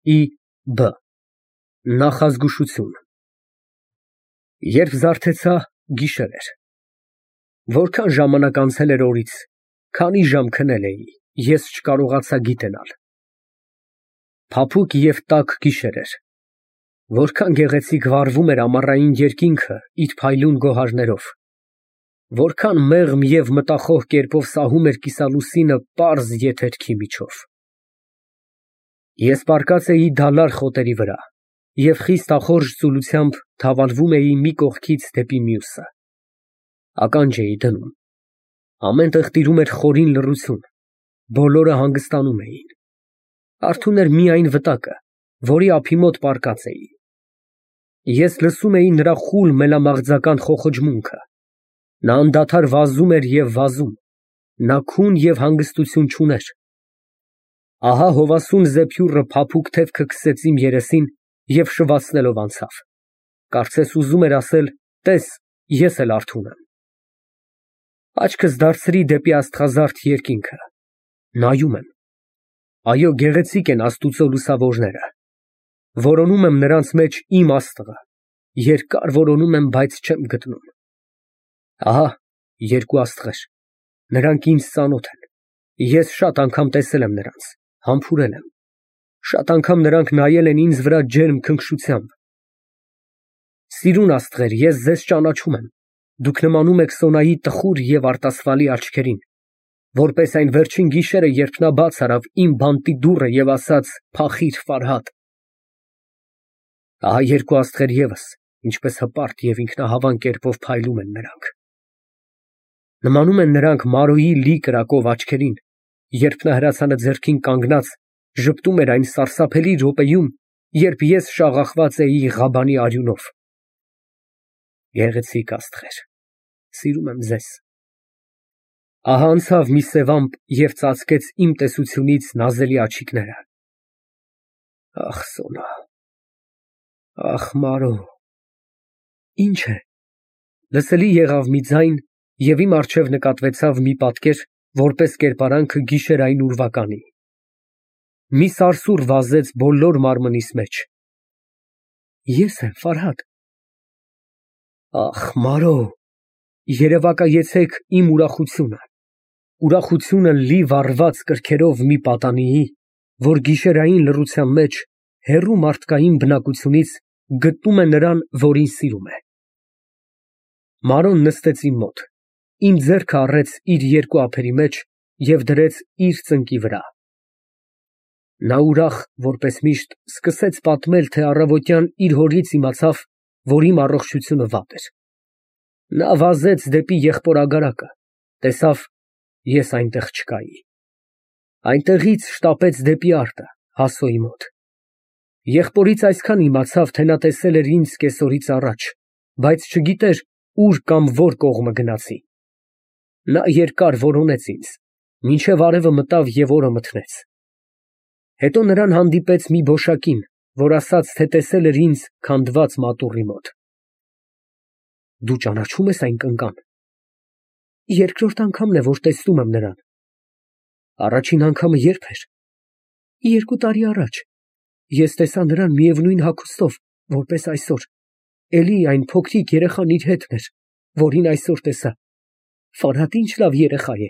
Ի.Բ. Նախազգուշություն։ Երբ զարթեցա, գիշեր էր։ Որքան ժամանակ անցել էր օրից, քանի ժամ քնել էի, ես չկարողացա գիտենալ։ Փափուկ և տաք գիշեր էր։ Որքան գեղեցիկ վառվում էր ամառային երկինքը իր փայլուն գոհարներով, որքան մեղմ և մտախոհ կերպով սահում էր կիսալուսինը պարզ եթերքի միջով։ Ես պառկած էի դալար խոտերի վրա և խիստ ծուլությամբ թավալվում էի մի կողքից դեպի մյուսը։ Ականջ էի դնում։ Ամեն տեղ տիրում էր խորին լռություն, բոլորը հանգստանում էին։ Արթուն էր միայն վտակը, որի ափի մոտ պառկած էի։ Ես լսում էի նրա խուլ մելամաղձական խոխճմունքը։ Նա անդադար վազում էր և վազում, նա քուն և հանգստություն չուներ։ Ահա հովասուն զեփյուռը փափուկ թևքը քսեց իմ երեսին և շվացնելով անցավ, կարծես ուզում էր ասել. «Տես, ես էլ արթուն եմ»։ Աչքս դարձրի դեպի աստղազարդ երկինքը, նայում եմ։ Այո, գեղեցիկ են Աստուծո լուսավորները։ Որոնում եմ նրանց մեջ իմ աստղը, երկար որոնում եմ, բայց չեմ գտնում։ Ահա երկու աստղեր, նրանք ինձ ծանոթ են, ես շատ անգամ տեսել եմ նրանց, համբուրել եմ, շատ անգամ նրանք նայել են ինձ վրա ջերմ քնքշությամբ։ Սիրուն աստղեր, ես ձեզ ճանաչում եմ, դուք նմանում եք Սոնայի տխուր և արտասվալի աչքերին, որպես այն վերջին գիշերը, երբ նա բաց արավ իմ բանտի դուռը և ասաց. «Փախիր, Ֆարհադ»։ Ահա երկու աստղեր ևս, ինչպես հպարտ և ինքնահավան կերպով փայլում են նրանք։ Նմանում են նրանք Մարոյի լի կրակով աչքերին, երբ նա հրացանը ձեռքին կանգնած ժպտում էր այն սարսափելի րոպեում, երբ ես շաղախված էի Ղաբանի արյունով։ Գեղեցիկ աստղեր, սիրում եմ ձեզ։ Ահա անցավ մի սև ամպ և ծածկեց իմ տեսությունից նազելի աչիկները։ Ախ, Սոնա, ախ, Մարո։ Ինչ է։ Լսելի եղավ մի ձայն և իմ առջև նկատվեցավ մի պատկեր, որպես կերպարանքը գիշերային ուրվականի։ Մի սարսուռ վազեց բոլոր մարմնիս մեջ։ Ես եմ, Ֆարհադ։ Ախ, Մարո, երևակայեցեք իմ ուրախությունը, ուրախությունը լի վառված կրքերով մի պատանիի, որ գիշերային լռության մեջ, հեռու մարդկային բնակությունից գտնում է նրան, որին սիրում է։ Մարոն նստեց իմ մոտ, իմ ձեռքը առեց իր երկու ափերի մեջ և դրեց իր ծնկի վրա։ Նա ուրախ, որպես միշտ, սկսեց պատմել, թե առավոտյան իր հորից իմացավ, որ իմ առողջությունը վատ էր։ Նա վազեց դեպի եղբորագարակը, տեսավ, ես այնտեղ չկայի։ Այնտեղից շտապեց դեպի արտը, Հասոյի մոտ։ Եղբորից այսքան իմացավ, թե նա տեսել էր ինձ կեսօրից առաջ, բայց չգիտեր ուր կամ որ կողմը գնացի։ Նա երկար որոնեց ինձ, մինչև արևը մտավ և օրը մթնեց։ Հետո նրան հանդիպեց մի բոշակին, որ ասաց, թե տեսել էր ինձ քանդված մատուռի մոտ։ Դու ճանաչո՞ւմ ես այն կնկան։ Երկրորդ անգամն է, որ տեսնում եմ նրան։ Առաջին անգամը ե՞րբ էր։ 2 տարի առաջ։ Ես տեսա նրան միևնույն հագուստով, որպես այսօր, էլի այն փոքրիկ երեխան իր հետն էր, որին այսօր տեսա։ Ֆարհադ ինչ լավ երեխա է։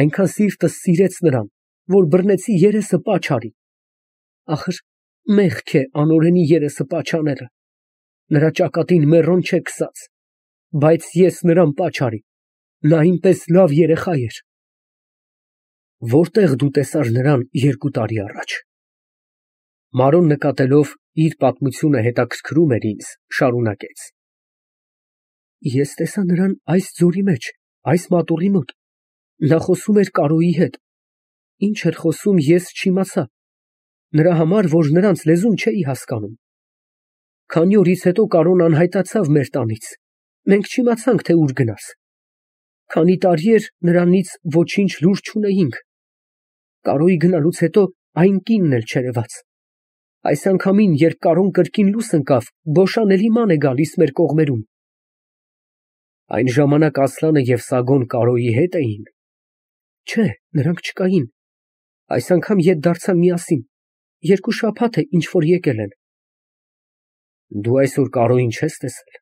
Այնքան սիրտս սիրեց նրան, որ բռնեցի երեսը պաչ արի։ Ախր մեղք է անօրենի երեսը պաչ անելը։ Նրա ճակատին մեռոն չէ քսած, բայց ես նրան պաչ արի, նա այնպես լավ երեխա էր։ Որտեղ դու տեսար նրան 2 տարի առաջ։ Մարոն նկատելով իր պատմությունը հետաքրքրում էր ինձ, շարունակեց. Ես տեսա նրան այս ձորի մեջ, այս մատուռի մոտ, նա խոսում էր Կարոյի հետ, ինչ էր խոսում, ես չիմացա, նրա համար, որ նրանց լեզուն չէի հասկանում։ Քանի օրից հետո Կարոն անհայտացավ մեր տանից, մենք չիմացանք, թե ուր գնաց։ Քանի տարի էր նրանից ոչինչ լուր չունեինք։ Կարոյի գնալուց հետո այն կինն էլ չերևաց։ Այս անգամին, երբ Կարոն կրկին լույս ընկավ, Բոշան էլի ման է գալիս մեր կողմերում։ Այն ժամանակ Ասլանը և Սագոն Կարոյի հետ էին։ Չէ, նրանք չկային։ Այս անգամ ետ դարձան միասին։ 2 շաբաթ է ինչ որ եկել են։ Դու այսօր Կարոյին չես տեսել։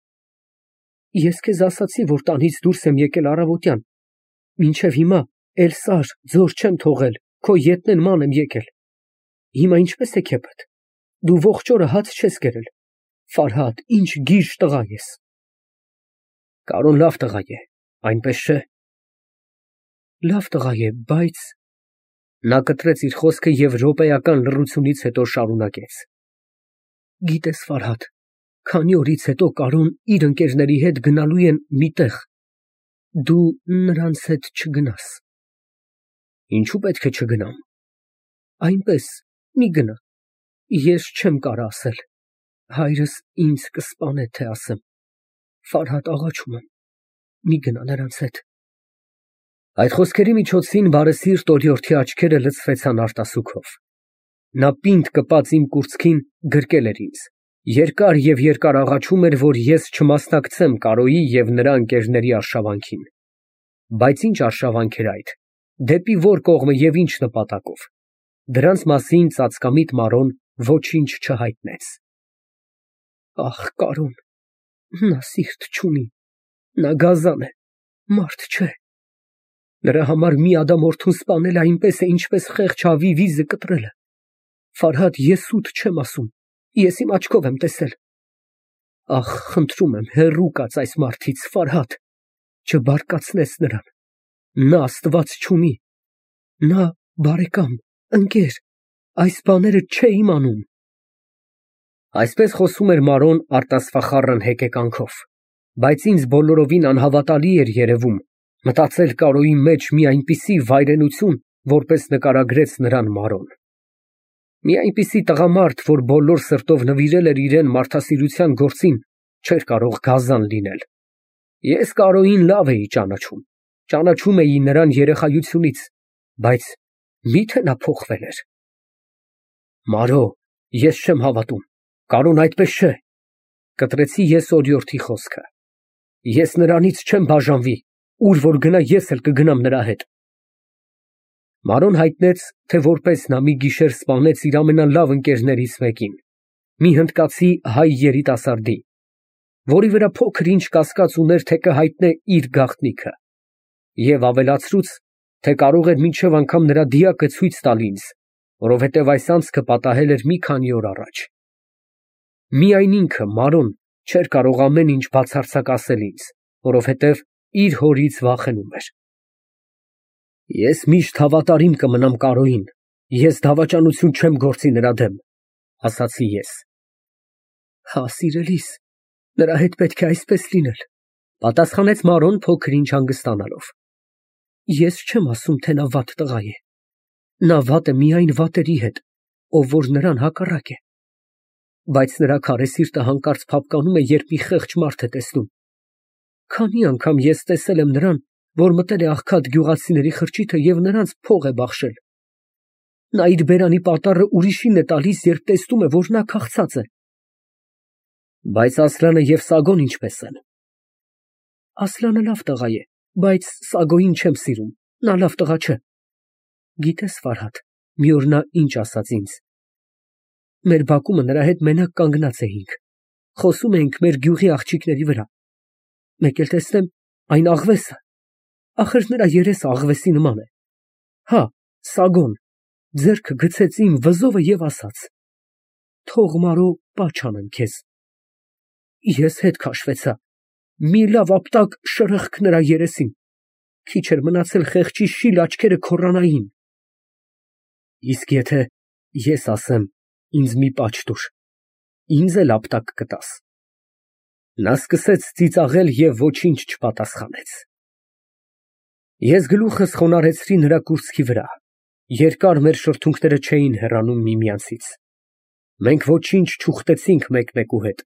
Ես քեզ ասացի, որ տանից դուրս եմ եկել առավոտյան։ Մինչև հիմա էլ սար, ձոր չեմ թողել, քո ետն են ման եմ եկել։ Հիմա ինչպես է քեփդ։ Դու ողջ օրը հաց չես կերել։ Ֆարհադ, ինչ գիժ տղա ես։ Կարոն լավ տղա է, այնպես չէ։ Լավ տղա է, բայց… Նա կտրեց իր խոսքը և րոպեական լռությունից հետո շարունակեց. Գիտես, Ֆարհադ, քանի օրից հետո Կարոն իր ընկերների հետ գնալու են մի տեղ։ Դու նրանց հետ չգնաս։ Ինչու պետք է չգնամ։ Այնպես, մի գնա։ Ես չեմ կարա ասել։ Հայրս ինձ կսպանե, թե ասեմ։ Ֆարհադ, աղաչում եմ, մի գնա նրանց հետ։ Այդ խոսքերի միջոցին բարեսիրտ օրիորդի աչքերը լցվեցան արտասուքով։ Նա պինդ կպած իմ կուրծքին գրկել էր ինձ։ Երկար և երկար աղաչում էր, որ ես չմասնակցեմ Կարոյի և նրա ընկերների արշավանքին։ Բայց ինչ արշավանք էր այդ, դեպի որ կողմը և ինչ նպատակով։ Դրանց մասին ծածկամիտ Մարոն ոչինչ չհայտնեց։ Ախ, Կարոն, նա սիրտ չունի, նա գազան է, մարդ չէ։ Նրա համար մի ադամորդուն սպանելը այնպես է, ինչպես խեղճ հավի վիզը կտրելը։ Ֆարհադ, ես սուտ չեմ ասում, ես իմ աչքով եմ տեսել։ Ախ, խնդրում եմ, հեռու կաց այս մարդից, Ֆարհադ, չբարկացնես նրան։ Նա Աստված չունի։ Նա բարեկամ, ընկեր, այս բաները չէ իմանում։ Այսպես խոսում էր Մարոն արտասվախառն հեկեկանքով, բայց ինձ բոլորովին անհավատալի էր երևում մտածել Կարոյի մեջ մի այնպիսի վայրենություն, որպես նկարագրեց նրան Մարոն։ Մի այնպիսի տղամարդ, որ բոլոր սրտով նվիրել էր իրեն մարդասիրության գործին, չէր կարող գազան լինել։ Ես Կարոյին լավ էի ճանաչում, ճանաչում էի նրան երեխայությունից, բայց մի՞թե նա փոխվել էր։ Մարո, ես չեմ հավատում, Կարոն այդպես չէ, կտրեցի ես օրիորդի խոսքը։ Ես նրանից չեմ բաժանվի, ուր որ գնա ես էլ կգնամ նրա հետ։ Մարոն հայտնեց, թե որպես նա մի գիշեր սպանեց իր ամենալավ ընկերներից մեկին, մի հնդկացի հայ երիտասարդի, որի վրա փոքր ինչ կասկած ուներ, թե կհայտնե իր գաղտնիքը, և ավելացրուց, թե կարող էր մինչև անգամ նրա դիակը ցույց տալ ինձ, որովհետև այս անցքը պատահել էր մի քանի օր առաջ։ Միայն ինքը, Մարոն, չէր կարող ամեն ինչ բացարձակ ասել ինձ, որովհետև իր հորից վախենում էր։ Ես միշտ հավատարիմ կմնամ Կարոյին, ես դավաճանություն չեմ գործի նրա դեմ, ասացի ես։ Հա, սիրելիս, նրա հետ պետք է այսպես լինել, պատասխանեց Մարոն փոքր ինչ հանգստանալով։ Ես չեմ ասում, թե նա վատ տղա է։ Նա վատ է միայն վատերի հետ, ով որ նրան հակառակ է։ Բայց նրա քարե սիրտը հանկարծ փափկանում է, երբ մի խեղճ մարդ է տեսնում։ Քանի անգամ ես տեսել եմ նրան, որ մտել է աղքատ գյուղացիների խրճիթը և նրանց փող է բախշել։ Նա իր բերանի պատառը ուրիշին է տալիս, երբ տեսնում է, որ նա քաղցած է։ Բայց Ասլանը և Սագոն ինչպես են։ Ասլանը լավ տղա է, բայց Սագոյին չեմ սիրում, նա լավ տղա չէ։ Գիտես, Ֆարհադ, մի օր նա ինչ ասաց ինձ։ Մեր բակումը նրա հետ մենակ կանգնած էինք, խոսում էինք մեր գյուղի աղջիկների վրա։ Մեկ էլ տեսնեմ, այն աղվեսը, ախր նրա երեսը աղվեսի նման է։ Հա, Սագոն, ձեռքը գցեց իմ վզովը և ասաց. թող Մարո պաչ անեմ քեզ։ Ես հետ քաշվեցա, մի լավ ապտակ շրխկ նրա երեսին, քիչ էր մնացել խեղճի շիլ աչքերը քոռանային։ Իսկ եթե ես ասեմ, ինձ մի պաչ տուր, ինձ էլ ապտակ կտաս։ Նա սկսեց ծիծաղել և ոչինչ չպատասխանեց։ Ես գլուխս խոնարհեցրի նրա կուրծքի վրա, երկար մեր շրթունքները չէին հեռանում միմյանցից։ Մենք ոչինչ չուխտեցինք մեկմեկու հետ,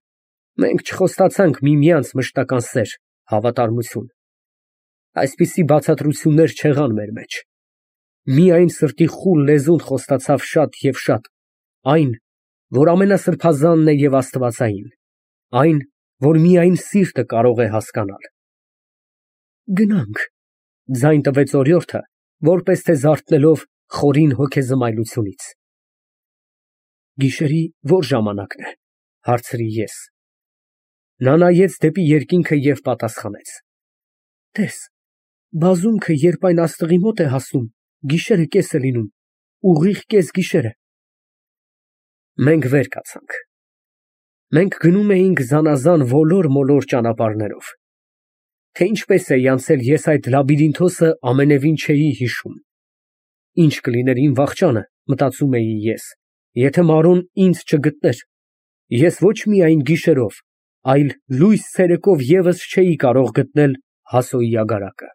մենք չխոստացանք միմյանց մշտական սեր, հավատարմություն։ Այսպիսի բացատրություններ չեղան մեր մեջ։ Միայն սրտի խուլ լեզուն խոստացավ շատ և շատ, այն, որ ամենասրբազանն է և աստվածային, այն, որ միայն սիրտը կարող է հասկանալ։ Գնանք, ձայն տվեց օրիորդը, որպես թե զարթնելով խորին հոգեզմայլությունից։ Գիշերի ո՞ր ժամանակն է, հարցրի ես։ Նա նայեց դեպի երկինքը և պատասխանեց. Տես, բազումքը, երբ այն աստղի մոտ է հասնում, գիշերը կես է լինում, ուղիղ կեսգիշերը։ Մենք վեր կացանք։ Մենք գնում էինք զանազան ոլոր֊մոլոր ճանապարհներով։ Թե ինչպես էի անցել ես այդ լաբիրինթոսը ամենևին չէի հիշում։ Ինչ կլիներ իմ վախճանը, մտածում էի ես, եթե Մարոն ինձ չգտներ։ Ես ոչ միայն գիշերով, այլ լույս ցերեկով ևս չէի կարող գտնել Հասոյի ագարակը։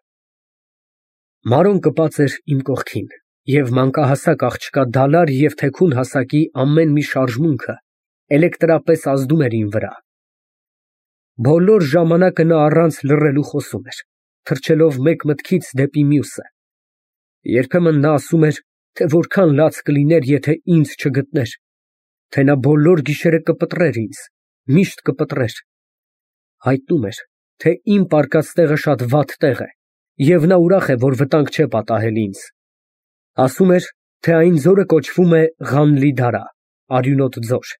Մարոն կպած էր իմ կողքին, և մանկահասակ աղջկա դալար և թեքուն հասակի ամեն մի շարժմունքը էլեկտրապես ազդում էր իմ վրա։ Բոլոր ժամանակը նա առանց լռելու խոսում էր, թռչելով մեկ մտքից դեպի մյուսը։ Երբեմն նա ասում էր, թե որքան լաց կլիներ, եթե ինձ չգտներ, թե նա բոլոր գիշերը կպտռեր ինձ, միշտ կպտռեր։ Հայտնում էր, թե իմ պառկած տեղը շատ վատ տեղ է, և նա ուրախ է, որ վտանգ չէ պատահել ինձ։ Ասում էր, թե այն ձորը կոչվում է Ղանլի֊Դարա, արյունոտ ձոր,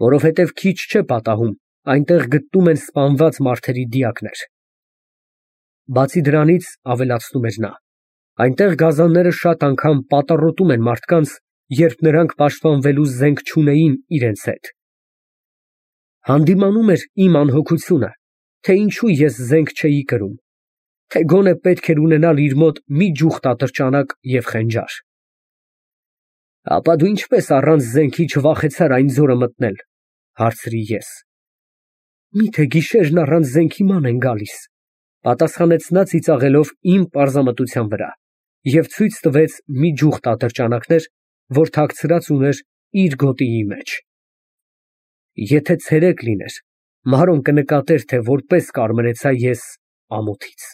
որովհետև քիչ չէ պատահում, այնտեղ գտնում են սպանված մարդերի դիակներ։ Բացի դրանից, ավելացնում էր նա, այնտեղ գազանները շատ անգամ պատառոտում են մարդկանց, երբ նրանք պաշտպանվելու զենք չունեին իրենց հետ։ Հանդիմանում էր իմ անհոգությունը, թե ինչու ես զենք չէի կրում, թե գոնե պետք էր ունենալ իր մոտ մի ճուղտ ատրճանակ և խենջար։ Ապա դու ինչպես առանց զենքի չվախեցար այն ձորը մտնել, հարցրի ես։ Միթե գիշերն առանց զենքի ման են գալիս, պատասխանեց նա ծիծաղելով իմ պարզամտության վրա և ցույց տվեց մի ճուղտ ատրճանակներ, որ թաքցրած ուներ իր գոտիի մեջ։ Եթե ցերեկ լիներ, Մարոն կնկատեր, թե որպես կարմրեցա ես ամոթից։